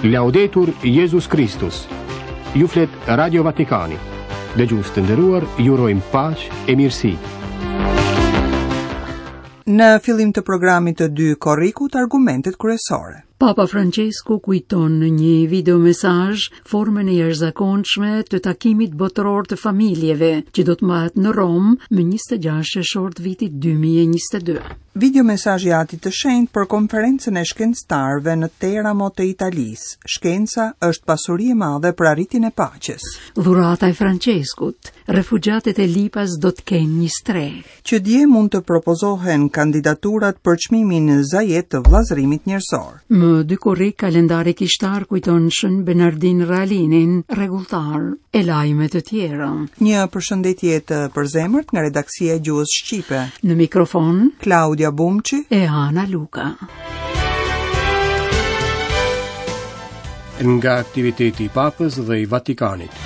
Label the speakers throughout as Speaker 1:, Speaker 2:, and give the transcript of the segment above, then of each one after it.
Speaker 1: Laudetur Jezus Kristus. Ju flet Radio Vatikani. Dëgjues të nderuar, ju urojmë paqe e mirësi.
Speaker 2: Në fillim të programit të 2 korrikut argumentet kryesore.
Speaker 3: Papa Francesku kujton në një videomesazh formën e jashtëzakonshme të takimit botëror të familjeve që do të mbahet në Romë më 26 qershor të vitit 2022.
Speaker 2: Videomesazhi i Atit të Shenjtë për konferencën e shkencëtarëve në Teramo të Italisë. Shkenca është pasuri e madhe për arritjen e paqes.
Speaker 3: Dhurata e Franceskut, refugjatët e Lipas do të kenë një strehë.
Speaker 2: Që dje mund të propozohen kandidaturat për çmimin Zayed të vëllazërimit
Speaker 3: njerëzor. Më 2 korrik kalendari kishtar kujton Shën Bernardin Realinin, rregulltar, e lajme të
Speaker 2: tjera. Një përshëndetje të përzemërt nga redaksia e gjuhës shqipe.
Speaker 3: Në mikrofon
Speaker 2: Klaudia Bumçi
Speaker 3: e Ana Luka.
Speaker 1: Nga aktiviteti i Papës dhe i Vatikanit.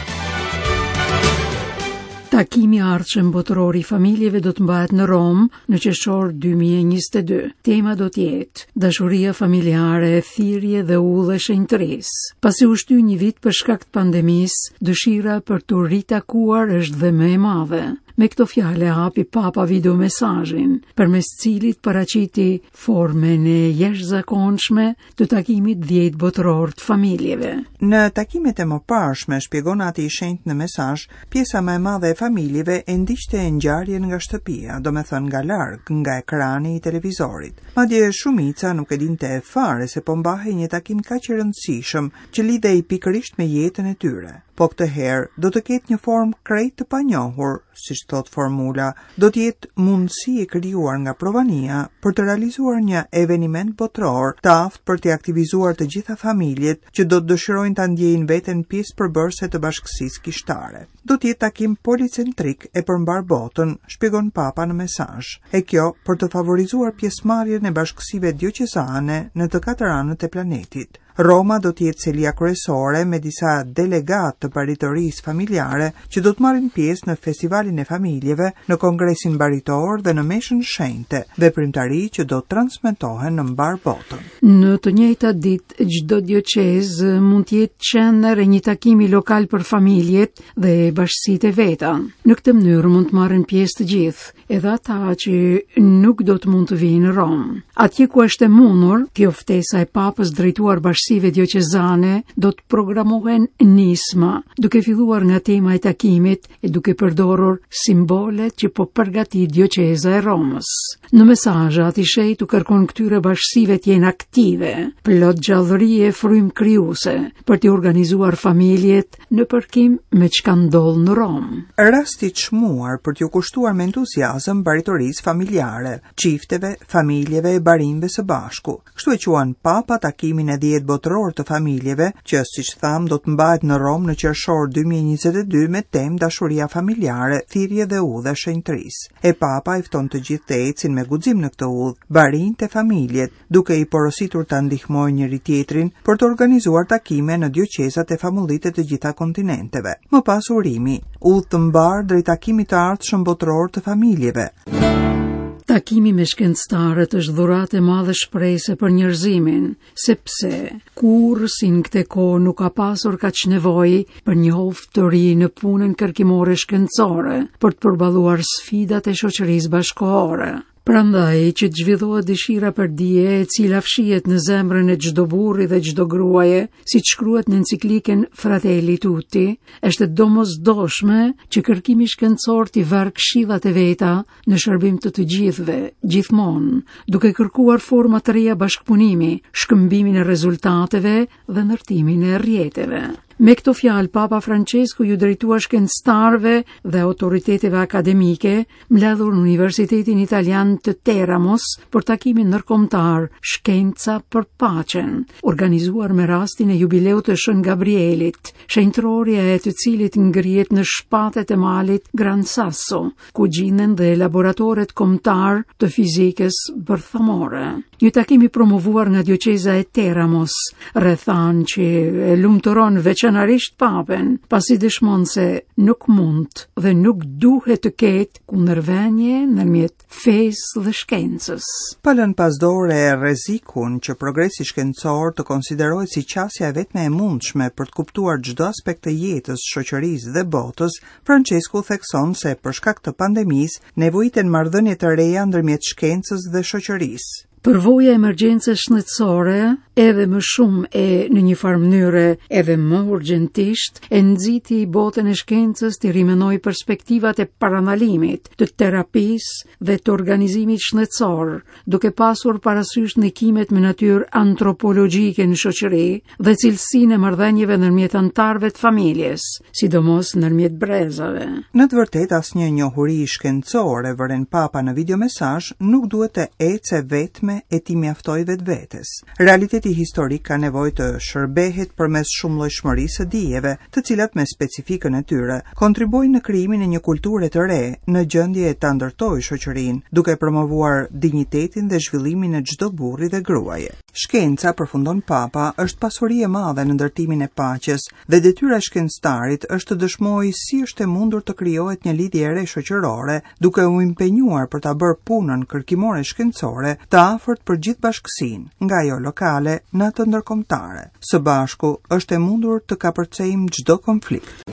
Speaker 3: Takimi i ardhshëm botëror i familjeve do të mbahet në Romë në qershor 2022. Tema do të jetë dashuria familjare, thirrje dhe udhë e shenjtërisë. Pasi u shty një vit për shkak të pandemisë, dëshira për t'u ritakuar është dhe më e madhe. Me këto fjalë e hapi Papa videomesazhin, përmes cilit paraqiti formën e jashtëzakonshme të takimit 10 botëror të
Speaker 2: familjeve. Në takimet e mëparshme, shpjegon Ati i Shenjtë në mesazh, pjesa më e madhe e familjeve e ndiqte ngjarjen nga shtëpia, domethënë nga larg, nga ekrani i televizorit. Madje shumica nuk e dinte fare se po mbahej një takim kaq i rëndësishëm, që lidhej pikërisht me jetën e tyre. Po këtë herë do të ketë një formë krejt të panjohur, siç thotë formula, do të jetë mundësi e krijuar nga Provania për të realizuar një eveniment botëror të aftë për t'i aktivizuar të gjitha familjet që do të dëshirojnë ta ndjejnë veten pjesë përbërëse të bashkësisë kishtare. Do të jetë takim policentrik e për mbarë botën, shpjegon Papa në mesazh. E kjo për të favorizuar pjesëmarrjen e bashkësive dioqezane në të katër anët e planetit. Roma do të jetë selia kryesore me disa delegatë të baritorisë familjare që do të marrin pjesë në Festivalin e Familjeve, në Kongresin Baritor dhe në Meshën Shenjte, veprimtari që do të transmetohen në mbarë
Speaker 3: botën. Në të njëjtat ditë, çdo dioqezë mund të jetë qendër e një takimi lokal për familjet dhe bashkësitë e veta. Në këtë mënyrë mund të marrin pjesë të gjithë, edhe ata që nuk do të mund të vijnë në Romë. Atje ku është e mundur, kjo ftesa e Papës drejtuar bashkësive dioqezane do të programohen nisma, duke filluar nga tema e takimit e duke përdorur simbolet që po përgatit dioqeza e Romës. Në mesazh, Ati i Shenjtë u kërkon këtyre bashkësive të jenë aktive, plot gjallëri e frymë krijuese, për t'i organizuar familjet në përkim me çka ndodh në
Speaker 2: Romë. Rast i çmuar për t'iu kushtuar me entuziazëm baritorisë familjare, çifteve, familjeve e barinjve së bashku. Kështu e quan Papa takimin e 10 botëror të familjeve, që siç thamë do të mbahet në Romë në qershor 2022 me temë dashuria familjare, thirrje dhe udhë e shenjtërisë. E Papa i fton të gjithë të ecin me guxim në këtë udhë, barinjtë e familjet, duke i porositur ta ndihmojnë njëri-tjetrin për të organizuar takime në dioqezat e famullitë e të gjitha kontinenteve. Më pas urimi, udhë të mbarë drejt takimit të ardhshëm botëror të
Speaker 3: familjeve. Takimi me shkencëtarët është dhuratë e madhe shprese për njerëzimin, sepse kurrë si në këtë kohë nuk ka pasur kaq nevojë për një hov të ri në punën kërkimore shkencore për të përballuar sfidat e shoqërisë bashkëkohore. Prandaj që të zhvillohet dëshira për dije e cila fshihet në zemrën e çdo burri dhe çdo gruaje, siç shkruhet në enciklikën Fratelli Tutti, është e domosdoshme që kërkimi shkencor t'i vërë këshillat e veta në shërbim të të gjithëve, gjithmonë, duke kërkuar forma të reja bashkëpunimi, shkëmbimin e rezultateve dhe ndërtimin e rrjeteve. Me këto fjalë, Papa Francesku iu drejtua shkencëtarëve dhe autoriteteve akademike mbledhur në Universitetin Italian të Teramos për takimin ndërkombëtar Shkenca për Paqen, organizuar me rastin e jubileut të Shën Gabrielit, shenjtërorja e të cilit ngrihet në shpatet e malit Gran Sasso, ku gjinden dhe laboratoret kombëtarë të fizikës bërthamore. Një takim i promovuar nga dioqeza e Teramos, rrethanë që e lumturon veçanërisht. veçanërisht Papën, pasi dëshmon se nuk mund dhe nuk duhet të ketë kundërvënie ndërmjet fesë dhe
Speaker 2: shkencës. Pa lënë pas dore rrezikun që progresi shkencor të konsiderohet si qasja e vetme e mundshme për të kuptuar çdo aspekt të jetës, shoqërisë dhe botës, Françesku thekson se për shkak të pandemisë nevojiten marrëdhënie të reja ndërmjet shkencës dhe shoqërisë.
Speaker 3: Përvoja e emergjencës shëndetësore, edhe më shumë e në një farë mënyre edhe më urgjentisht, e nxiti botën e shkencës të rimenojë perspektivat e parandalimit, të terapisë dhe të organizimit shëndetësor, duke pasur parasysh ndikimet me natyrë antropologjike në shoqëri dhe cilësinë e marrëdhënieve ndërmjet anëtarëve të familjes, sidomos ndërmjet
Speaker 2: brezave. Në të vërtetë asnjë njohuri shkencore, vëren Papa në videomesazh, nuk duhet të ecë e vetme e t'i mjaftojë vetvetes. Realiteti historik ka nevojë të shërbehet përmes shumëllojshmërisë së dijeve, të cilat me specifikën e tyre kontribuojnë në krijimin e një kulture të re, në gjendje ta ndërtojë shoqërinë, duke promovuar dinjitetin dhe zhvillimin e çdo burri dhe gruaje. Shkenca, përfundon Papa, është pasuri e madhe në ndërtimin e paqes dhe detyra e shkencëtarit është të dëshmojë si është e mundur të krijohet një lidhje e re shoqërore, duke u impenjuar për ta bërë punën kërkimore shkencore të afërt për gjithë bashkësinë, nga ajo lokale në atë ndërkombëtare. Së bashku është e mundur të kapërcejmë çdo
Speaker 3: konflikt.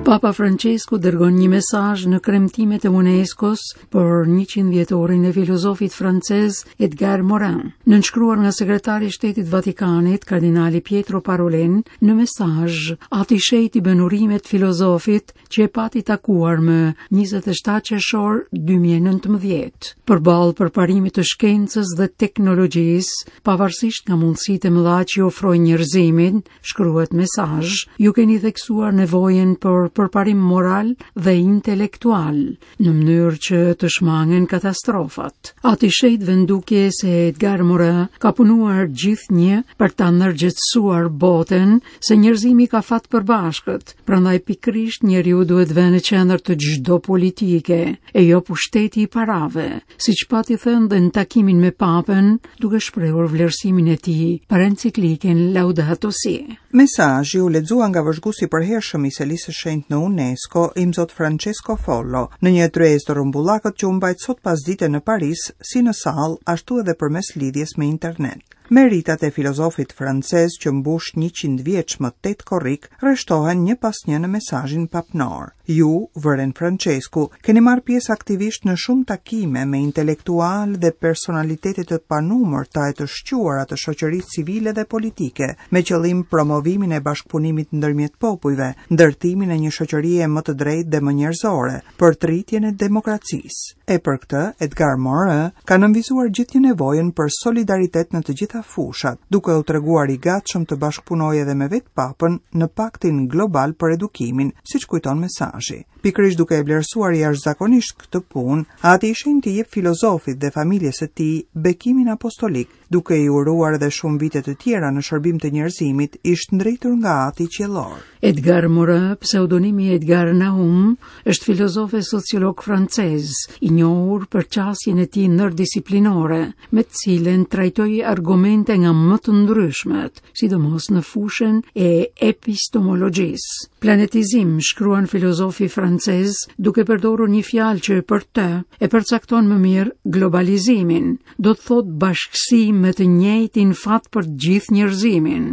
Speaker 3: Papa Francesku dërgon një mesazh në kremtimet e UNESCO-s për 100 vjetorin e filozofit francez Edgar Morin. Nënshkruar nga sekretari i Shtetit Vatikanit, kardinali Pietro Parolin, në mesazh, Ati i Shenjtë i bën urimet filozofit që e pati takuar më 27 qershor 2019. Përballë përparimit të shkencës dhe teknologjisë, pavarësisht nga mundësitë e mëdha që i ofrojnë njerëzimit, shkruhet në mesazh, ju keni theksuar nevojën për përparim moral dhe intelektual, në mënyrë që të shmangen katastrofat. Ati i Shenjtë vë në dukje se Edgar Morin ka punuar gjithnjë për ta ndërgjegjësuar botën se njerëzimi ka fat të përbashkët, prandaj pikërisht njeriu duhet vënë në qendër të çdo politike, e jo pushteti i parave, siç pati thënë dhe në takimin me Papën, duke shprehur vlerësimin e tij për enciklikën Laudato Si.
Speaker 2: Mesazhi u lexua nga vëzhguesi i përhershëm i Selisë së Shenjtë në UNESCO, Imzot Francesco Follo, në një tryezë të rrumbullakët që u mbajt sot pasdite në Paris, si në sallë, ashtu edhe përmes lidhjes me internet. Meritat e filozofit francez që mbush 100 vjeç më 8 korrik rreshtohen një pas një në mesazhin papnor. Ju, vëren Francesku, keni marrë pjesë aktivisht në shumë takime me intelektualë dhe personalitete të panumërta e të shquara të shoqërisë civile dhe politike, me qëllim promovimin e bashkëpunimit ndërmjet popujve, ndërtimin e një shoqërie më të drejtë dhe më njerëzore, përtëritjen e demokracisë. E për këtë, Edgar Morin ka nënvizuar gjithnjë nevojën për solidaritet në të gjitha fushat, duke u treguar i gatshëm të bashkëpunojë edhe me vetë Papën në Paktin Global për Edukimin, siç kujton mesazhi. Pikërisht duke e vlerësuar jashtëzakonisht këtë punë, Ati i Shenjtë i jep filozofit dhe familjes së tij bekimin apostolik, duke i uruar edhe shumë vite të tjera në shërbim të njerëzimit, i shndritur nga Ati
Speaker 3: Qiellor. Edgar Morin, pseudonimi Edgar Nahoum, është filozof e sociolog francez, i njohur për qasjen e tij ndërdisiplinore, me të cilën trajtoi argumente nga më të ndryshmet, sidomos në fushën e epistemologjisë. Planetizim, shkruan filozofi francez, duke përdorur një fjalë që për të e përcakton më mirë globalizimin, do të thotë bashkësi me të njëjtin fat për gjithë njerëzimin.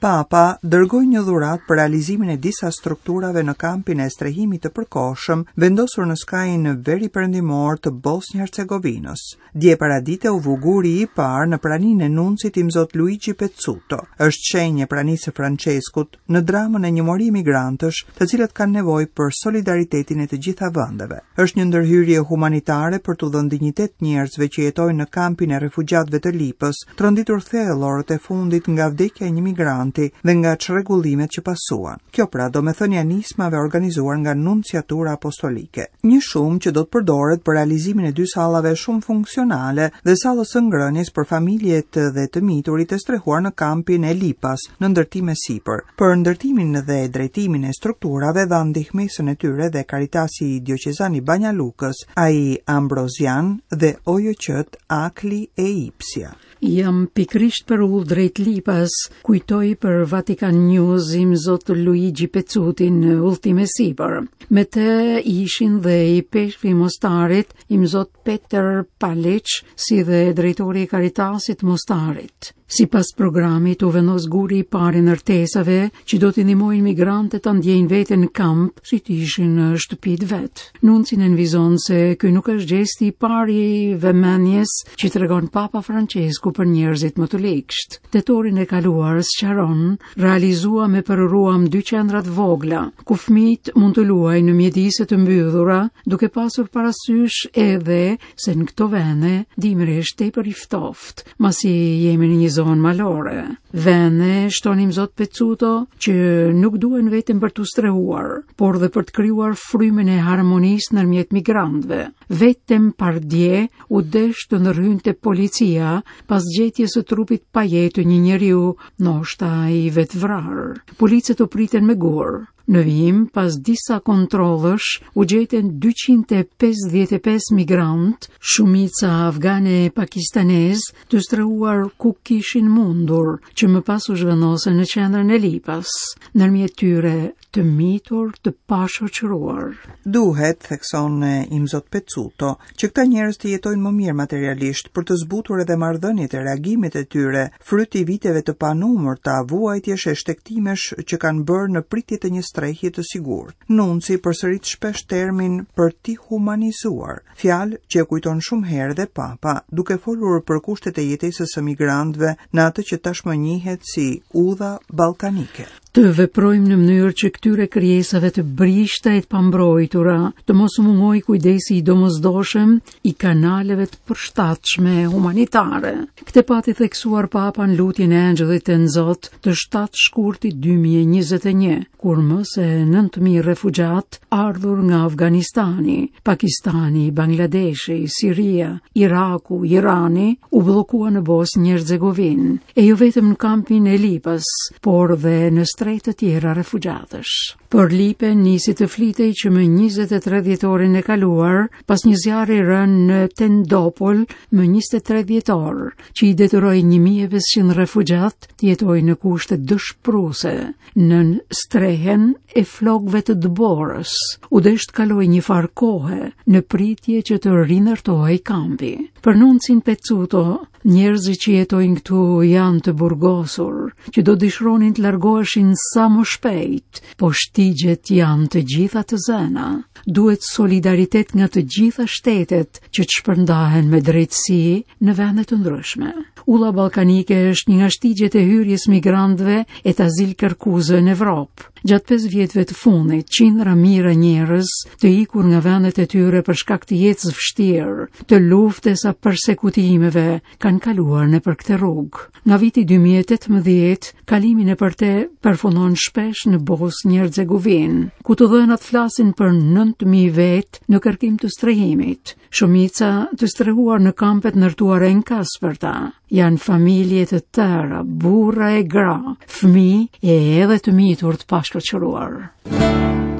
Speaker 2: Papa dërgoi një dhuratë për realizimin e disa strukturave në kampin e strehimit të përkohshëm, vendosur në skajin veriperëndimor të Bosnjë-Hercegovinës. Dje paradite u vu guri i parë në praninë e nuncit Imzot Luigi Pezzuto. Është shenjë e pranisë së Françeskut në dramën e një mori emigrantësh, të cilët kanë nevojë për solidaritetin e të gjitha vendeve. Është një ndërhyrje humanitare për t'u dhënë dinjitet njerëzve që jetojnë në kampin e refugjatëve të Lipës, tronditur thellë orët e fundit nga vdekja e një migranti dhe nga çrregullimet që pasuan. Kjo pra domethënia e nismave organizuar nga Nunciatura Apostolike. Një shumë që do të përdoret për realizimin e dy sallave shumëfunksionale dhe sallës së ngrënies për familjet dhe të miturit e strehuar në kampin e Lipas, në ndërtim e sipër. Për ndërtimin dhe drejtimin e strukturave dhanë ndihmesën e tyre dhe Caritasi Dioqezan i Banja Lukës, ai Ambrozian dhe OJQ-të Akli e Ipsia.
Speaker 3: Jam pikërisht për udhë drejt Lipas, kujtoi për Vatican News imzot Luigi Pezzuti në udhëtim e sipër. Me të ishin dhe ipeshkvi i Mostarit, imzot Peter Palic, si dhe drejtori i Caritasit Mostarit. Sipas programit, u vendos guri i parë i ndërtesave që do t'i ndihmojnë migrantët ta ndjejnë veten në kamp si të ishin në shtëpi të vet. Nunci nënvizon se ky nuk është gjesti i parë i vëmendjes që tregon Papa Francesku për njerëzit më të ligshtë. Tetorin e kaluar, sqaron, realizuam e përuruam dy qendra të vogla, ku fëmijët mund të luajnë në mjedise të mbyllura, duke pasur parasysh edhe se në këto vende dimri është tepër i ftoftë, masi jemi në një zonë malore. Vende, shton imzot Pezzuto, që nuk duhen vetëm për t'u strehuar, por dhe për të krijuar frymën e harmonisë ndërmjet migrantëve. Vetëm pardje u desh të ndërhynte policia pas gjetjes së trupit pa jetë të një njeriu, ndoshta i vetëvrarë. Policët u pritën me gurë. Në vijim, pas disa kontrollesh, u gjetën 255 migrantë, shumica afganë e pakistanezë, të strehuar ku kishin mundur, që më pas u zhvendosën në qendrën e Lipas, ndërmjet tyre të mitur të pashoqëruar.
Speaker 2: Duhet, thekson Imzot Pezzuto, që këta njerëz të jetojnë më mirë materialisht për të zbutur edhe marrëdhëniet e reagimet e tyre, fryt i viteve të panumërta vuajtjesh e shtegtimesh që kanë bërë në pritje të një strehje të sigurt. Nunci përsërit shpesh termin për t'i humanizuar, fjalë që e kujton shumë herë dhe Papa, duke folur për kushtet e jetesës së migrantëve në atë që tashmë njihet si udha ballkanike.
Speaker 3: Të veprojmë në mënyrë që këtyre krijesave të brishta e të pambrojtura të mos u mungojë kujdesi i domosdoshëm i kanaleve të përshtatshme humanitare. Këtë pati theksuar Papa në lutjen e Engjëllit të Zot të 7 shkurtit 2021, kur më se 9000 refugjatë ardhur nga Afganistani, Pakistani, Bangladeshi, Siria, Iraku, Irani, u bllokuan në Bosnjë Hercegovinë, e jo vetëm në kampin e Lipës, por dhe në strehë të tjera refugjatësh. Për Lipën nisi të flitej që më 23 dhjetorin e kaluar, pas një zjarri rënë në Tendopol më 23 dhjetor, që i detyroi 1500 refugjatë të jetojnë në kushte dëshpëruese, nën strehën e flokëve të dëborës. U desh të kalojë një farë kohe në pritje që të rindërtohej kampi. Për nuncin Pezzuto, Njerëzit që jetojnë këtu janë të burgosur, që do dëshironin të largoheshin sa më shpejt, po shtigjet janë të gjitha të zëna. Duhet solidaritet nga të gjitha shtetet që të shpërndahen me drejtësi në vende të ndryshme. Udha Ballkanike është një nga shtigjet e hyrjes migrantëve e të azilkërkuesve në Evropë. Gjatë 5 vjetëve të fundit, qindra mijëra njerëz të ikur nga vendet e tyre për shkak të jetës së vështirë, të luftës a persekutimeve, kanë kaluar nëpër këtë rrugë. Nga viti 2018, kalimi nëpër te përfundon shpesh në Bosnjë Hercegovinë, ku të dhënat flasin për 9000 vetë në kërkim të strehimit, shumica të strehuar në kampe të ndërtuara enkasperta. Janë familje të tëra, burra e gra, fëmijë e edhe të mitur të pashoqëruar.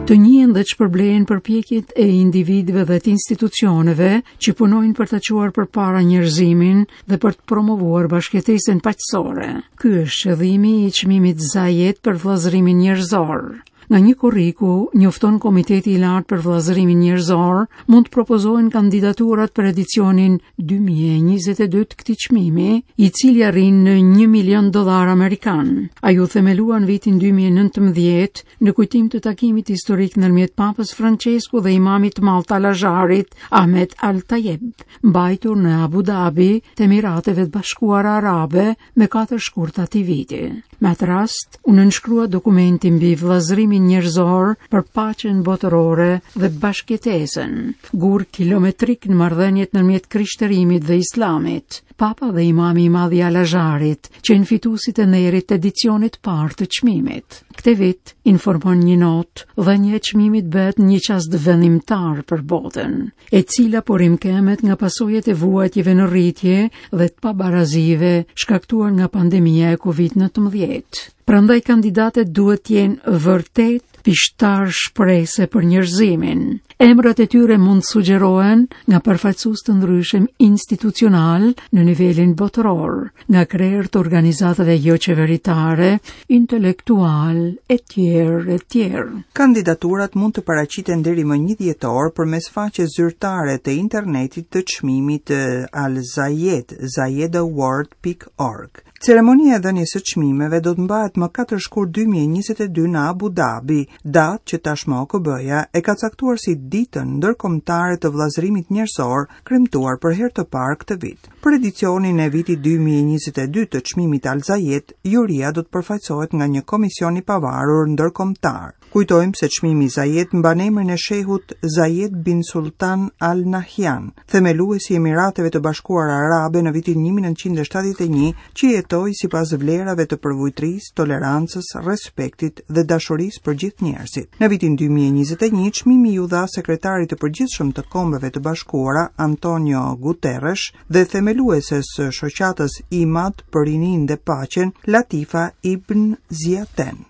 Speaker 3: Të njihen dhe të shpërblehen përpjekjet e individëve dhe të institucioneve që punojnë për të çuar përpara njerëzimin dhe për të promovuar bashkëjetesën paqësore. Ky është qëllimi i çmimit Zayed për vëllazërimin njerëzor. Nga 1 korriku, njofton Komiteti i Lartë për Vëllazërimin Njerëzor, mund të propozohen kandidaturat për edicionin 2022 të këtij çmimi, i cili arrin në 1 milion dollar amerikan. Ai u themelua në vitin 2019 në kujtim të takimit historik ndërmjet Papës Francesku dhe imamit të madh të Al-Azharit, Ahmed Al-Tayeb, mbajtur në Abu Dhabi të Emirateve të Bashkuara Arabe me 4 shkurt të atij viti. Me atë rast, u nënshkrua dokumenti mbi vëllazërimin njerëzor për paqen botërore dhe bashkëjetesën, gur kilometrik në marrëdhëniet ndërmjet krishterimit dhe islamit. Papa dhe imami i madh i Al-Azharit qenë fituesit e nderit të edicionit të parë të çmimit. Këtë vit, informon një notë, dhënia e çmimit bëhet në një çast vendimtar për botën, e cila po rimëkëmbet nga pasojat e vuajtjeve në rritje dhe të pabarazive shkaktuar nga pandemia e Covid-19. Prandaj kandidatët duhet të jenë vërtet pishtar shprese për njerëzimin. Emrat e tyre mund të sugjerohen nga përfaqësues të ndryshëm institucionalë në nivelin botëror, nga krerë të organizatave joqeveritare, intelektualë e tjerë e
Speaker 2: tjerë. Kandidaturat mund të paraqiten deri më 1 dhjetor përmes faqes zyrtare të internetit të çmimit Al Zayed, zayedaward.org. Ceremonia e dhënies së çmimeve do të mbahet më 4 shkurt 2022 në Abu Dhabi, datë që tashmë OKB-ja e ka caktuar si Ditën Ndërkombëtare të Vëllazërimit Njerëzor, kremtuar për herë të parë këtë vit. Për edicionin e vitit 2022 të çmimit Al Zayed, juria do të përfaqësohet nga një komision i pavarur ndërkombëtar. Kujtojmë se çmimi Zayed mban emrin e shehut Zayed bin Sultan Al Nahyan, themelues i Emirateve të Bashkuara Arabe në vitin 1971, që jetoi sipas vlerave të përvujtrisë, tolerancës, respektit dhe dashurisë për gjithë njerëzit. Në vitin 2021, çmimi iu dha sekretarit të përgjithshëm të Kombeve të Bashkuara, Antonio Guterres, dhe themelueses së shoqatës IMAD për rininë dhe paqen, Latifa Ibn Ziaten.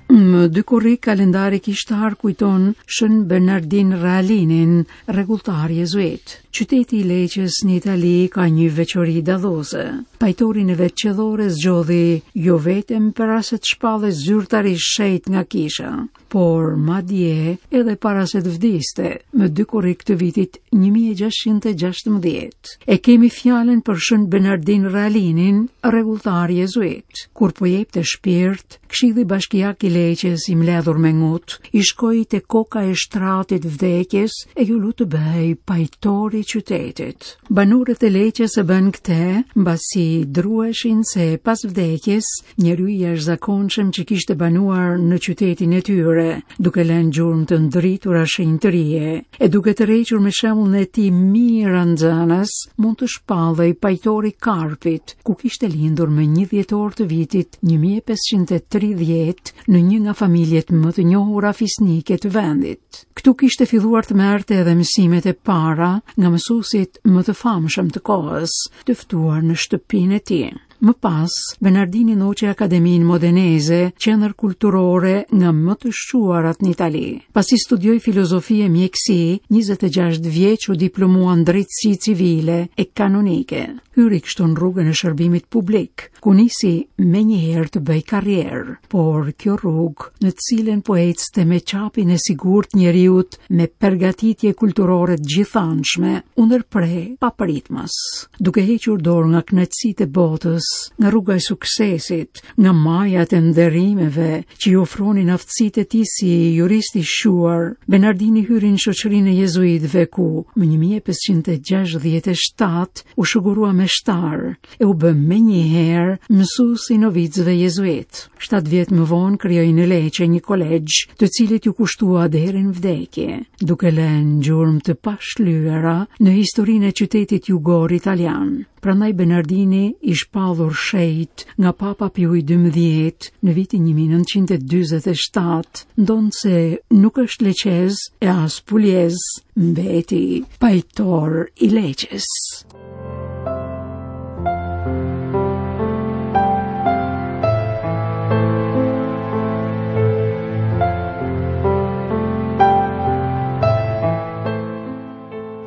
Speaker 3: Më 2 korrik kalendari kishtar kujton Shën Bernardin Realinin, rregulltar jezuit. Qyteti i Leçes në Itali ka një veçori dalluese. Pajtorin e vet qiellor e zgjodhi jo vetëm para se të shpallej zyrtarisht shenjt nga kisha, por madje edhe para se të vdiste më 2 korrik të vitit 1616. E kemi fjalën për Shën Bernardin Realinin, rregulltar jezuit. Kur po jepte shpirt, Këshilli Bashkiak i Leçes i mbledhur me ngut, i shkoi te koka e shtratit vdekjes e iu lut të bëhej pajtor i qytetit. Banorët e Leçes e bënë këtë, mbasi druheshin se pas vdekjes Njeriu i jashtëzakonshëm që kishte banuar në qytetin e tyre, duke lënë gjurmë të ndritura shenjtërie, e duke tërhequr me shembullin e tij mijëra nxënës, mund të shpallej pajtor i Karpit, ku kishte lindur më 1 dhjetor të vitit 1530 në një nga familjet më të njohura fisnike të vendit. Këtu kishte filluar të merrte edhe mësimet e para nga mësuesit më të famshëm të kohës, të ftuar në shtëpinë e tij. Më pas, Bernardini ndoqi Akademinë Modeneze, qendër kulturore nga më të shquarat në Itali. Pasi studioi filozofi e mjekësi, 26 vjeç u diplomua në drejtësi civile e kanonike. Hyri kështu në rrugën e shërbimit publik, ku nisi menjëherë të bëjë karrierë. Por kjo rrugë, në të cilën po ecte me çapin e sigurt të njeriut me përgatitje kulturore të gjithanshme, u ndërpre papritmas. duke hequr dorë nga kënaqësitë e botës, nga rruga e suksesit, nga majat e nderimeve që i ofronin aftësitë e tij si jurist i shquar, Bernardini hyri në shoqërinë e jezuitëve ku më 1567 u shugurua meshtar e u bë menjëherë mësues i novicëve jezuitë. 7 vjet më vonë krijoi në Leçe një kolegj, të cilit iu kushtua deri në vdekje, duke lënë gjurmë të pashlyera në historinë e qytetit jugor italian. Prandaj Bernardini i shpallur shenjt nga Papa Piu i 12 në vitin 1947, ndonëse nuk është leçez e as puljez, mbeti pajtor i Leçes.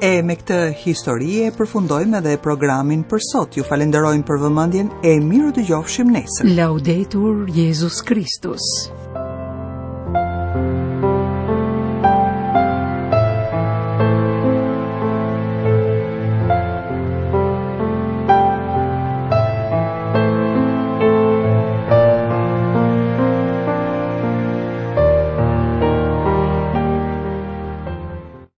Speaker 2: E me këtë histori e përfundojmë edhe programin për sot. Ju falenderojmë për vëmendjen e mirudëgjofshim nesër.
Speaker 3: Laudetur Jezus Kristus.